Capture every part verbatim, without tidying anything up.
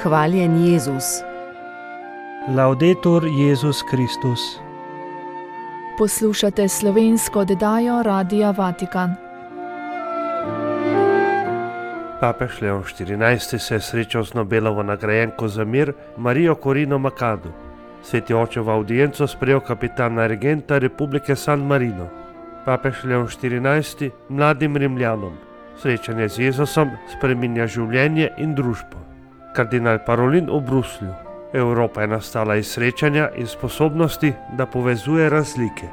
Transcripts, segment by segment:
Hvaljen Jezus. Laudetur Jezus Kristus. Poslušate slovensko oddajo Radia Vatikan. Papež Leon štirinajsti se je srečal z Nobelovo nagrajenko za mir Marijo Corino Machado. Sveti oče v avdienco sprejel kapitana regenta Republike San Marino. Papež Leon štirinajsti mladim Rimljanom. Srečanje z Jezusom spreminja življenje in družbo. Kardinal Parolin v Bruslju. Evropa je nastala iz srečanja in sposobnosti, da povezuje razlike.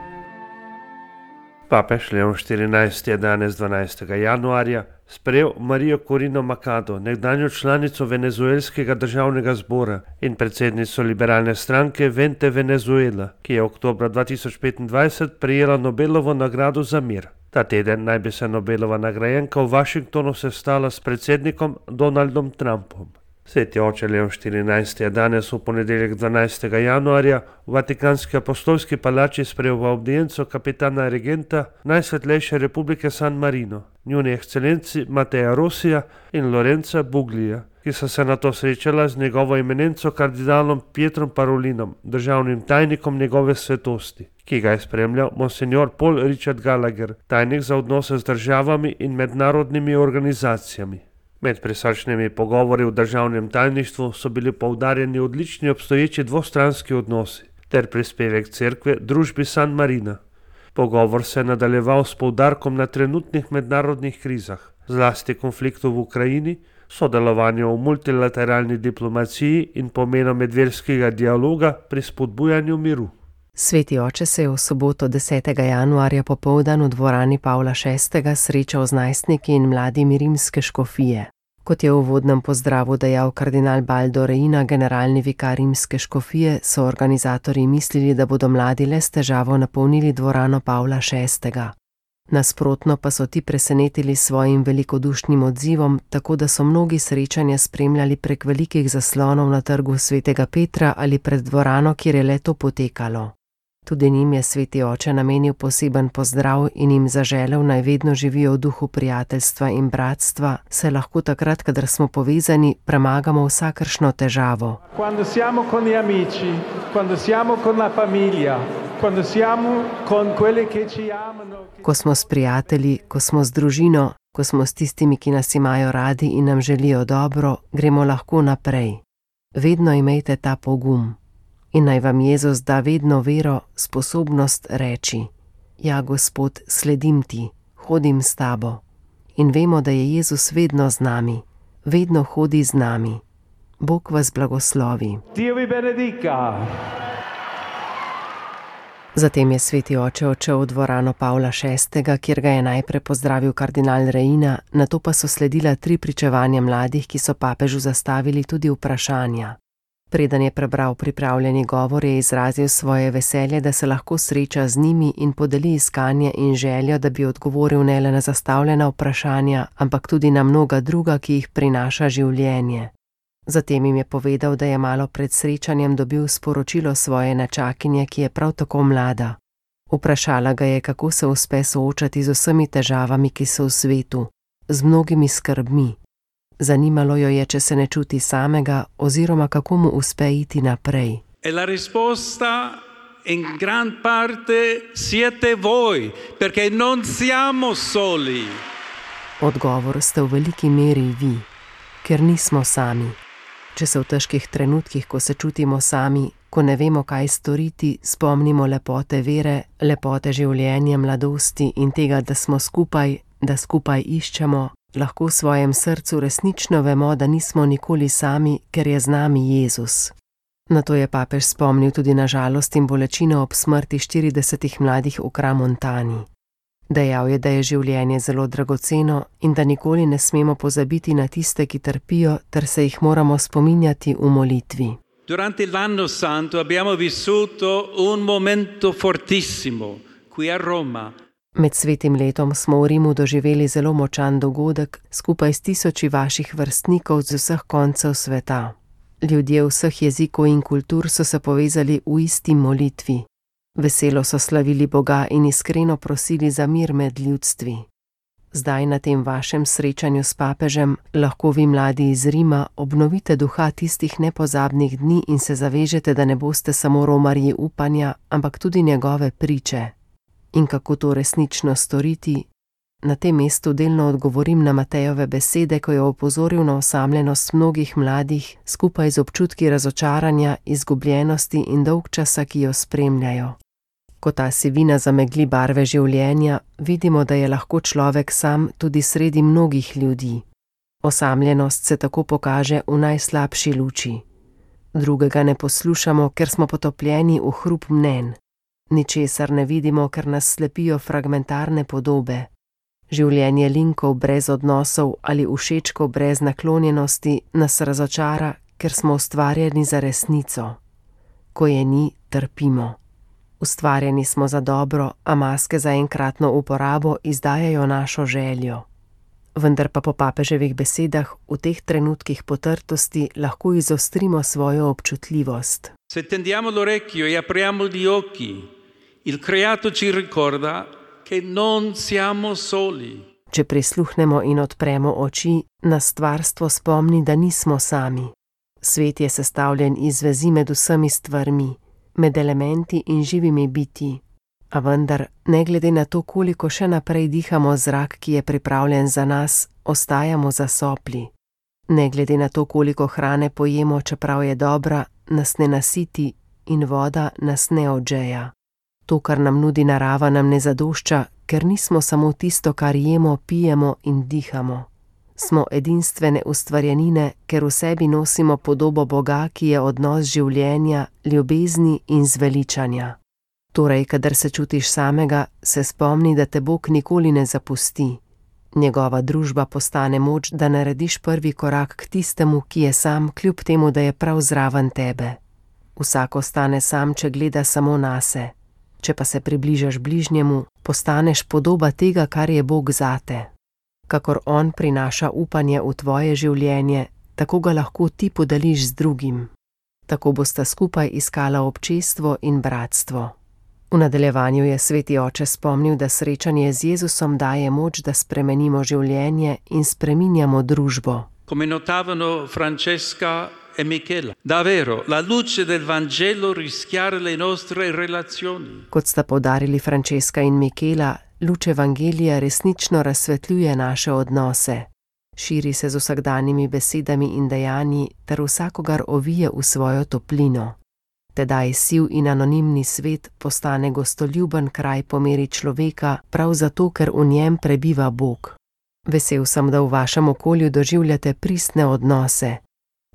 Papež Leon štirinajsti je danes dvanajstega januarja sprejel Marijo Corino Machado, nekdanjo članico venezuelskega državnega zbora in predsednico liberalne stranke Vente Venezuela, ki je oktobra dva tisoč petindvajset prejela Nobelovo nagrado za mir. Ta teden naj bi se Nobelova nagrajenka v Washingtonu sestala s predsednikom Donaldom Trumpom. Sveti oče Leon štirinajsti je danes v ponedeljek dvanajstega januarja v Vatikanski apostolski palači sprejel v avdienco kapitana regenta Najsvetlejše Republike San Marino, njuni ekscelenci Mateja Rosija in Lorenza Buglija, ki so se nato srečala z njegovo eminenco kardinalom Pietrom Parolinom, državnim tajnikom njegove svetosti, ki ga je spremljal monsignor Paul Richard Gallagher, tajnik za odnose z državami in mednarodnimi organizacijami. Med prisrčnimi pogovori v državnem tajništvu so bili poudarjeni odlični obstoječi dvostranski odnosi ter prispevek cerkve družbi San Marina. Pogovor se je nadaljeval s poudarkom na trenutnih mednarodnih krizah, zlasti konfliktu v Ukrajini, sodelovanju v multilateralni diplomaciji in pomenu medverskega dialoga pri spodbujanju miru. Sveti oče se je v soboto desetega januarja popoldan v dvorani Pavla šestega srečal z najstniki in mladimi rimske škofije. Kot je v uvodnem pozdravu dejal kardinal Baldo Reina, generalni vikar rimske škofije, so organizatorji mislili, da bodo mladi le s težavo napolnili dvorano Pavla šestega. Nasprotno pa so ti presenetili svojim velikodušnim odzivom, tako da so mnogi srečanja spremljali prek velikih zaslonov na trgu svetega Petra ali pred dvorano, kjer je le to potekalo. Tudi njim je sveti oče namenil poseben pozdrav in jim zaželel, naj vedno živijo v duhu prijateljstva in bratstva, saj lahko takrat, kadar smo povezani, premagamo vsakršno težavo. Quando siamo con gli amici, quando siamo con la famiglia, quando siamo con quelli che ci amano. Ko smo s prijatelji, ko smo z družino, ko smo s tistimi, ki nas imajo radi in nam želijo dobro, gremo lahko naprej. Vedno imejte ta pogum. In naj vam Jezus da vedno vero, sposobnost reči: ja, Gospod, sledim ti, hodim s tabo. In vemo, da je Jezus vedno z nami, vedno hodi z nami. Bog vas blagoslovi. Dio vi benedica. Zatem je sveti oče odšel v dvorano Pavla šestega, kjer ga je najprej pozdravil kardinal Reina, nato pa so sledila tri pričevanja mladih, ki so papežu zastavili tudi vprašanja. Preden je prebral pripravljeni govor, je izrazil svoje veselje, da se lahko sreča z njimi in podeli iskanje in željo, da bi odgovoril ne le na zastavljena vprašanja, ampak tudi na mnoga druga, ki jih prinaša življenje. Zatem jim je povedal, da je malo pred srečanjem dobil sporočilo svoje nečakinje, ki je prav tako mlada. Vprašala ga je, kako se uspe soočati z vsemi težavami, ki so v svetu, z mnogimi skrbmi. Zanimalo jo je, če se ne čuti samega, oziroma kako mu uspe iti naprej. E la risposta in gran parte siete voi, perché non siamo soli. Odgovor ste v veliki meri vi, ker nismo sami. Če se v težkih trenutkih, ko se čutimo sami, ko ne vemo, kaj storiti, spomnimo lepote vere, lepote življenja, mladosti in tega, da smo skupaj, da skupaj iščemo, lahko v svojem srcu resnično vemo, da nismo nikoli sami, ker je z nami Jezus. Nato je papež spomnil tudi na žalost in bolečino ob smrti štiridesetih mladih v Kramontani. Dejal je, da je življenje zelo dragoceno in da nikoli ne smemo pozabiti na tiste, ki trpijo, ter se jih moramo spominjati v molitvi. Durante l'anno santo abbiamo vissuto un momento fortissimo qui a Roma. Med svetim letom smo v Rimu doživeli zelo močan dogodek skupaj s tisoči vaših vrstnikov z vseh koncev sveta. Ljudje vseh jezikov in kultur so se povezali v isti molitvi. Veselo so slavili Boga in iskreno prosili za mir med ljudstvi. Zdaj na tem vašem srečanju s papežem lahko vi mladi iz Rima obnovite duha tistih nepozabnih dni in se zavežete, da ne boste samo romarji upanja, ampak tudi njegove priče. In kako to resnično storiti? Na tem mestu delno odgovorim na Matejove besede, ko je opozoril na osamljenost mnogih mladih, skupaj z občutki razočaranja, izgubljenosti in dolgčasa, ki jo spremljajo. Ko ta sivina zamegli barve življenja, vidimo, da je lahko človek sam tudi sredi mnogih ljudi. Osamljenost se tako pokaže v najslabši luči. Drugega ne poslušamo, ker smo potopljeni v hrup mnenj. Ničesar ne vidimo, ker nas slepijo fragmentarne podobe. Življenje linkov brez odnosov ali všečkov brez naklonjenosti nas razočara, ker smo ustvarjeni za resnico. Ko je ni, trpimo. Ustvarjeni smo za dobro, a maske za enkratno uporabo izdajajo našo željo. Vendar pa po papeževih besedah v teh trenutkih potrtosti lahko izostrimo svojo občutljivost. Se tendiamo l'orecchio e apriamo gli occhi, il creato ci ricorda che non siamo soli. Če prisluhnemo in odpremo oči, nas stvarstvo spomni, da nismo sami. Svet je sestavljen iz vezi med vsemi stvarmi, med elementi in živimi bitji. A vendar, ne glede na to, koliko še naprej dihamo zrak, ki je pripravljen za nas, ostajamo zasopli. Ne glede na to, koliko hrane pojemo, čeprav je dobra, nas ne nasiti in voda nas ne odžeja. To, kar nam nudi narava, nam ne zadošča, ker nismo samo tisto, kar jemo, pijemo in dihamo. Smo edinstvene ustvarjenine, ker v sebi nosimo podobo Boga, ki je odnos življenja, ljubezni in zveličanja. Torej, kadar se čutiš samega, se spomni, da te Bog nikoli ne zapusti. Njegova družba postane moč, da narediš prvi korak k tistemu, ki je sam, kljub temu, da je prav zraven tebe. Vsak ostane sam, če gleda samo nase. Če pa se približaš bližnjemu, postaneš podoba tega, kar je Bog zate. Kakor on prinaša upanje v tvoje življenje, tako ga lahko ti podeliš z drugim. Tako bosta skupaj iskala občestvo in bratstvo. V nadaljevanju je sveti oče spomnil, da srečanje z Jezusom daje moč, da spremenimo življenje in spreminjamo družbo. Come notavano Francesca e Michela, davvero la luce del Vangelo rischiara le nostre relazioni. Kot sta poudarili Francesca in Michela, luč Evangelija resnično razsvetljuje naše odnose. Širi se z vsakdanjimi besedami in dejanji ter vsakogar ovije v svojo toplino. Tedaj siv in anonimni svet postane gostoljuben kraj po meri človeka, prav zato, ker v njem prebiva Bog. Vesel sem, da v vašem okolju doživljate pristne odnose.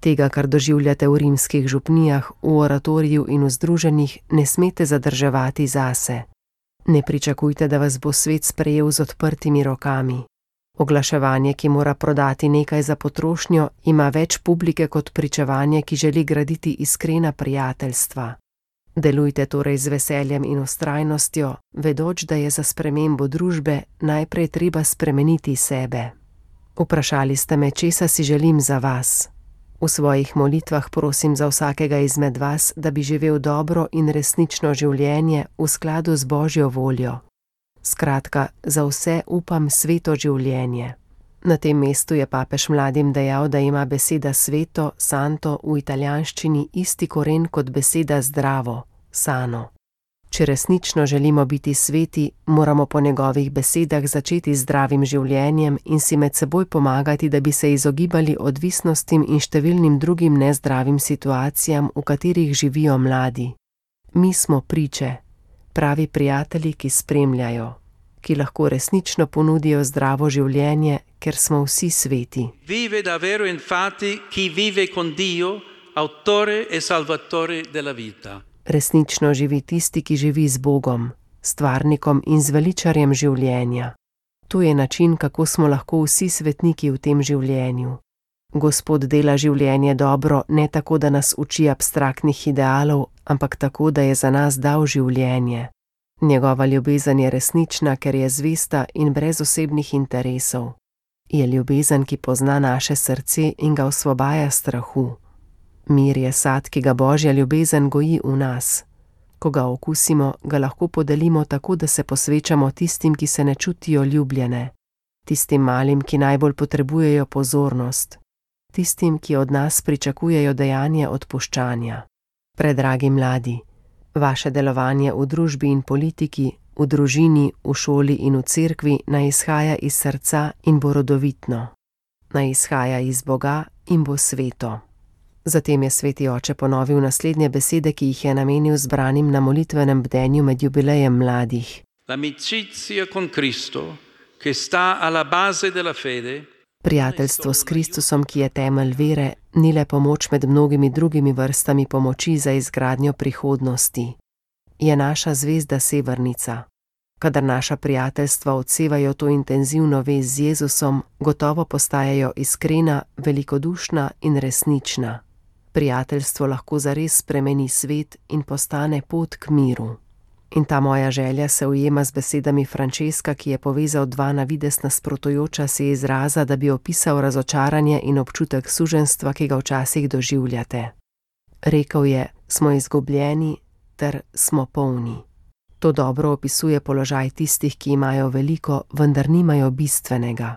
Tega, kar doživljate v rimskih župnijah, v oratoriju in v združenjih, ne smete zadrževati zase. Ne pričakujte, da vas bo svet sprejel z odprtimi rokami. Oglaševanje, ki mora prodati nekaj za potrošnjo, ima več publike kot pričevanje, ki želi graditi iskrena prijateljstva. Delujte torej z veseljem in vztrajnostjo, vedoč, da je za spremembo družbe najprej treba spremeniti sebe. Vprašali ste me, česa si želim za vas. V svojih molitvah prosim za vsakega izmed vas, da bi živel dobro in resnično življenje v skladu z Božjo voljo. Skratka, za vse upam sveto življenje. Na tem mestu je papež mladim dejal, da ima beseda sveto, santo v italijanščini isti koren kot beseda zdravo, sano. Če resnično želimo biti sveti, moramo po njegovih besedah začeti z zdravim življenjem in si med seboj pomagati, da bi se izogibali odvisnostim in številnim drugim nezdravim situacijam, v katerih živijo mladi. Mi smo priče, pravi prijatelji, ki spremljajo, ki lahko resnično ponudijo zdravo življenje, ker smo vsi sveti. Vive davvero infatti chi vive con Dio, autore e salvatore della vita. Resnično živi tisti, ki živi z Bogom, stvarnikom in zveličarjem življenja. To je način, kako smo lahko vsi svetniki v tem življenju. Gospod dela življenje dobro ne tako, da nas uči abstraktnih idealov, ampak tako, da je za nas dal življenje. Njegova ljubezen je resnična, ker je zvesta in brez osebnih interesov. Je ljubezen, ki pozna naše srce in ga osvobaja strahu. Mir je sad, ki ga Božja ljubezen goji v nas. Ko ga okusimo, ga lahko podelimo tako, da se posvečamo tistim, ki se ne čutijo ljubljene. tistim malim, ki najbolj potrebujejo pozornost, tistim, ki od nas pričakujejo dejanje odpuščanja. Predragi mladi, vaše delovanje v družbi in politiki, v družini, v šoli in v cerkvi naj izhaja iz srca in bo rodovitno. Naj izhaja iz Boga in bo sveto. Zatem je sveti oče ponovil naslednje besede, ki jih je namenil zbranim na molitvenem bdenju med jubilejem mladih. L'amicizia con Cristo, che sta alla base della fede. Prijateljstvo s Kristusom, ki je temelj vere, ni le pomoč med mnogimi drugimi vrstami pomoči za izgradnjo prihodnosti. Je naša zvezda severnica. Kadar naša prijateljstva odsevajo to intenzivno vez z Jezusom, gotovo postajajo iskrena, velikodušna in resnična. Prijateljstvo lahko zares spremeni svet in postane pot k miru. In ta moja želja se ujema z besedami Frančeska, ki je povezal dva na videz nasprotujoča se izraza, da bi opisal razočaranje in občutek suženjstva, ki ga včasih doživljate. Rekel je, smo izgubljeni ter smo polni. To dobro opisuje položaj tistih, ki imajo veliko, vendar nimajo bistvenega.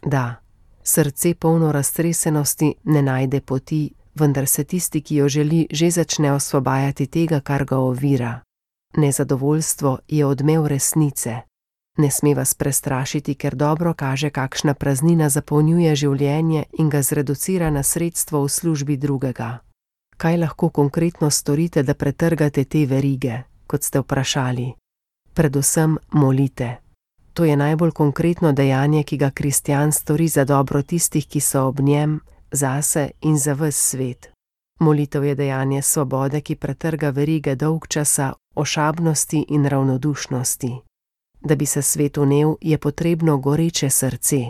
Da, srce polno raztresenosti ne najde poti, vendar se tisti, ki jo želi, že začne osvobajati tega, kar ga ovira. Nezadovoljstvo je odmev resnice. Ne sme vas prestrašiti, ker dobro kaže, kakšna praznina zapolnjuje življenje in ga zreducira na sredstvo v službi drugega. Kaj lahko konkretno storite, da pretrgate te verige, kot ste vprašali? Predvsem molite. To je najbolj konkretno dejanje, ki ga kristjan stori za dobro tistih, ki so ob njem, zase in za ves svet. Molitev je dejanje svobode, ki pretrga verige dolgčasa, ošabnosti in ravnodušnosti. Da bi se svet vnel, je potrebno goreče srce.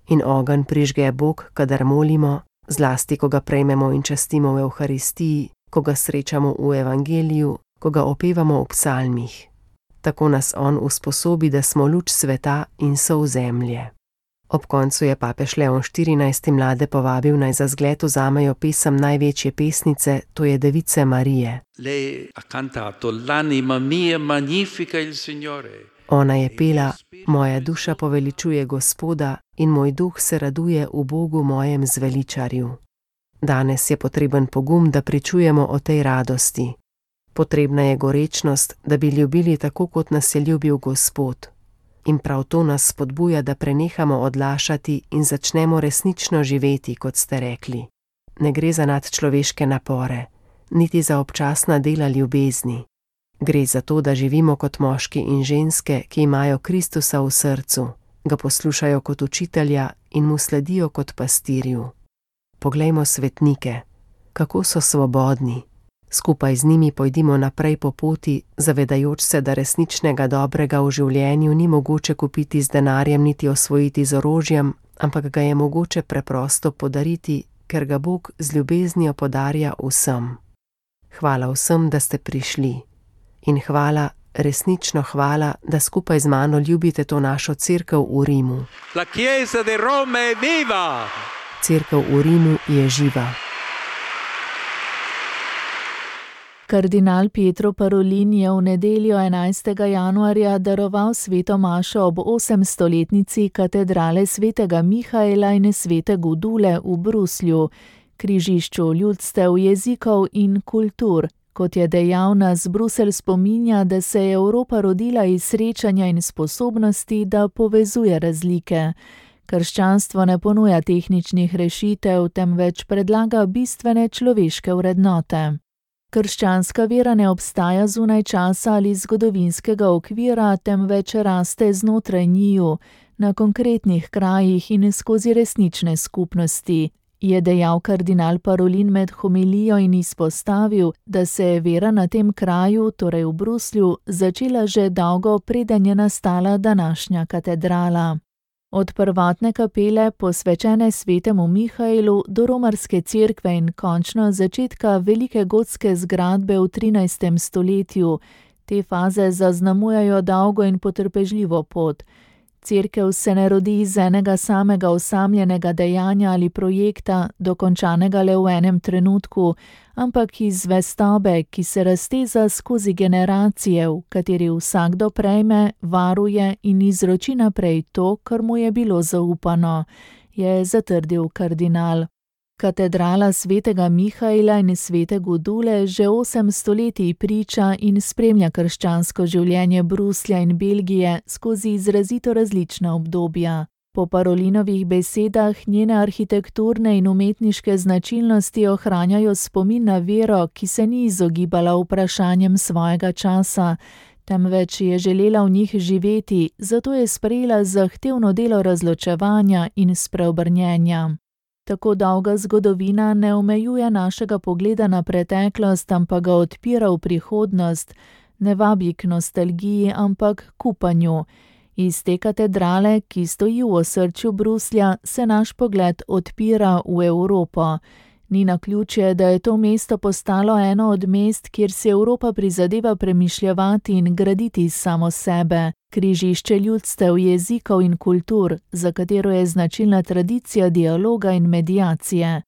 In ogenj prižge Bog, kadar molimo, zlasti, ko ga prejmemo in častimo v Evharistiji, ko ga srečamo v Evangeliju, ko ga opevamo v psalmih. Tako nas on usposobi, da smo luč sveta in sol zemlje. Ob koncu je papež Leon štirinajsti mlade povabil, naj za zgled vzamejo pesem največje pesnice, to je Device Marije. Lei ha cantato l'anima mia magnifica il Signore. Ona je pela, moja duša poveličuje Gospoda in moj duh se raduje v Bogu mojem zveličarju. Danes je potreben pogum, da pričujemo o tej radosti. Potrebna je gorečnost, da bi ljubili tako, kot nas je ljubil Gospod. In prav to nas spodbuja, da prenehamo odlašati in začnemo resnično živeti, kot ste rekli. Ne gre za nadčloveške napore, niti za občasna dela ljubezni. Gre za to, da živimo kot moški in ženske, ki imajo Kristusa v srcu, ga poslušajo kot učitelja in mu sledijo kot pastirju. Poglejmo svetnike, kako so svobodni. Skupaj z njimi pojdimo naprej po poti, zavedajoč se, da resničnega dobrega v življenju ni mogoče kupiti z denarjem niti osvojiti z orožjem, ampak ga je mogoče preprosto podariti, ker ga Bog z ljubeznijo podarja vsem. Hvala vsem, da ste prišli. In hvala, resnično hvala, da skupaj z mano ljubite to našo cerkev v Rimu. La Chiesa di Roma è viva! Cerkev v Rimu je živa. Kardinal Pietro Parolin je v nedeljo enajstega januarja daroval sveto mašo ob osemstoletnici katedrale svetega Mihaela in svete Gudule v Bruslju, križišču ljudstev, jezikov in kultur. Kot je dejal, nas Bruselj spominja, da se je Evropa rodila iz srečanja in sposobnosti, da povezuje razlike. Krščanstvo ne ponuja tehničnih rešitev, temveč predlaga bistvene človeške vrednote. Krščanska vera ne obstaja zunaj časa ali zgodovinskega okvira, temveč raste znotraj njiju, na konkretnih krajih in skozi resnične skupnosti, je dejal kardinal Parolin med homilijo in izpostavil, da se je vera na tem kraju, torej v Bruslju, začela že dolgo, preden je nastala današnja katedrala. Od prvotne kapele, posvečene svetemu Mihaelu, do romarske cerkve in končno začetka velike gotske zgradbe v trinajstem stoletju. Te faze zaznamujajo dolgo in potrpežljivo pot. Cerkev se ne rodi iz enega samega osamljenega dejanja ali projekta, dokončanega le v enem trenutku, ampak iz zvestobe, ki se razteza skozi generacije, v kateri vsakdo prejme, varuje in izroči naprej to, kar mu je bilo zaupano, je zatrdil kardinal. Katedrala svetega Mihaela in svete Gudule že osem stoletij priča in spremlja krščansko življenje Bruslja in Belgije skozi izrazito različna obdobja. Po Parolinovih besedah njene arhitekturne in umetniške značilnosti ohranjajo spomin na vero, ki se ni izogibala vprašanjem svojega časa, temveč je želela v njih živeti, zato je sprejela zahtevno delo razločevanja in spreobrnjenja. Tako dolga zgodovina ne omejuje našega pogleda na preteklost, ampak ga odpira v prihodnost, ne vabi k nostalgiji, ampak k upanju. Iz te katedrale, ki stoji v osrčju Bruslja, se naš pogled odpira v Evropo. Ni naključje, da je to mesto postalo eno od mest, kjer si Evropa prizadeva premišljevati in graditi samo sebe. Križišče ljudstev, jezikov in kultur, za katero je značilna tradicija dialoga in mediacije.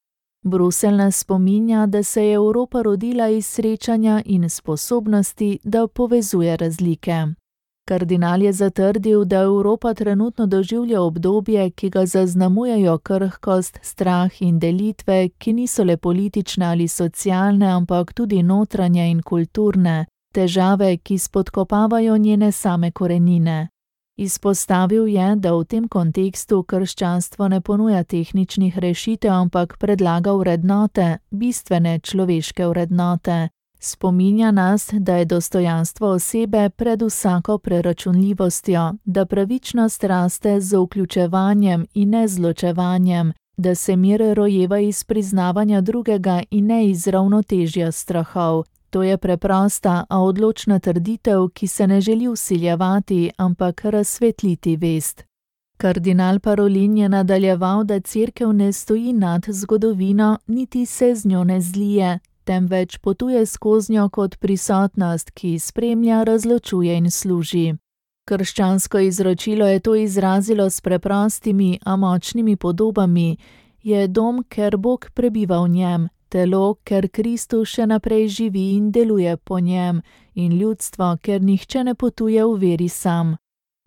Bruselj nas spominja, da se je Evropa rodila iz srečanja in sposobnosti, da povezuje razlike. Kardinal je zatrdil, da Evropa trenutno doživlja obdobje, ki ga zaznamujejo krhkost, strah in delitve, ki niso le politične ali socialne, ampak tudi notranje in kulturne, težave, ki spodkopavajo njene same korenine. Izpostavil je, da v tem kontekstu krščanstvo ne ponuja tehničnih rešitev, ampak predlaga vrednote, bistvene človeške vrednote. Spominja nas, da je dostojanstvo osebe pred vsako preračunljivostjo, da pravičnost raste z vključevanjem in ne z ločevanjem, da se mir rojeva iz priznavanja drugega in ne iz ravnotežja strahov. To je preprosta, a odločna trditev, ki se ne želi vsiljevati, ampak razsvetliti vest. Kardinal Parolin je nadaljeval, da cerkev ne stoji nad zgodovino, niti se z njo ne zlije, temveč potuje skoznjo kot prisotnost, ki spremlja, razločuje in služi. Krščansko izročilo je to izrazilo s preprostimi, a močnimi podobami. Je dom, ker Bog prebiva v njem, telo, ker Kristus še naprej živi in deluje po njem, in ljudstvo, ker nihče ne potuje v veri sam.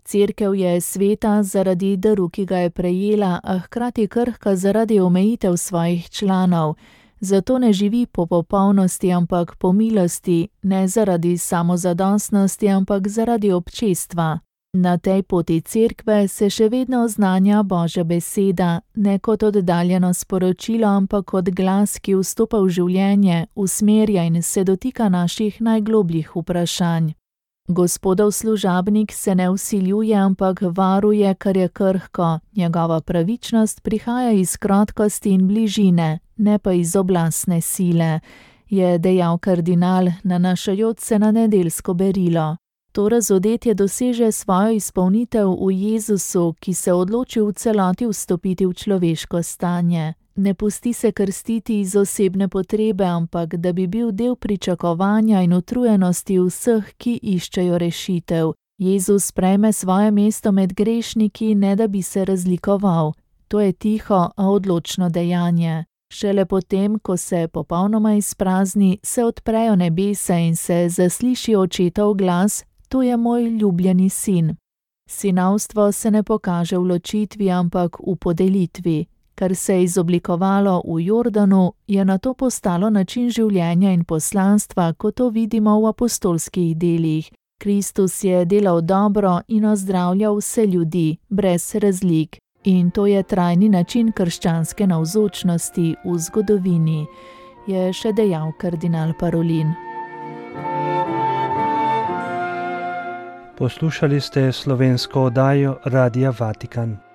Cerkev je sveta zaradi daru, ki ga je prejela, a hkrati krhka zaradi omejitev svojih članov. Zato ne živi po popolnosti, ampak po milosti, ne zaradi samozadostnosti, ampak zaradi občestva. Na tej poti cerkve se še vedno oznanja Božja beseda, ne kot oddaljeno sporočilo, ampak kot glas, ki vstopa v življenje, usmerja in se dotika naših najglobljih vprašanj. Gospodov služabnik se ne vsiljuje, ampak varuje, kar je krhko. Njegova pravičnost prihaja iz krotkosti in bližine, ne pa iz oblastne sile, je dejal kardinal, nanašajoč se na nedeljsko berilo. To razodetje doseže svojo izpolnitev v Jezusu, ki se odloči v celoti vstopiti v človeško stanje. Ne pusti se krstiti iz osebne potrebe, ampak da bi bil del pričakovanja in utrujenosti vseh, ki iščejo rešitev. Jezus prejme svoje mesto med grešniki, ne da bi se razlikoval. To je tiho, a odločno dejanje. Šele potem, ko se popolnoma izprazni, se odprejo nebesa in se zasliši očetov glas, to je moj ljubljeni sin. Sinovstvo se ne pokaže v ločitvi, ampak v podelitvi. Kar se je izoblikovalo v Jordanu, je nato postalo način življenja in poslanstva, kot to vidimo v apostolskih delih. Kristus je delal dobro in ozdravljal vse ljudi, brez razlik. In to je trajni način krščanske navzočnosti v zgodovini, je še dejal kardinal Parolin. Poslušali ste slovensko oddajo Radia Vatikan.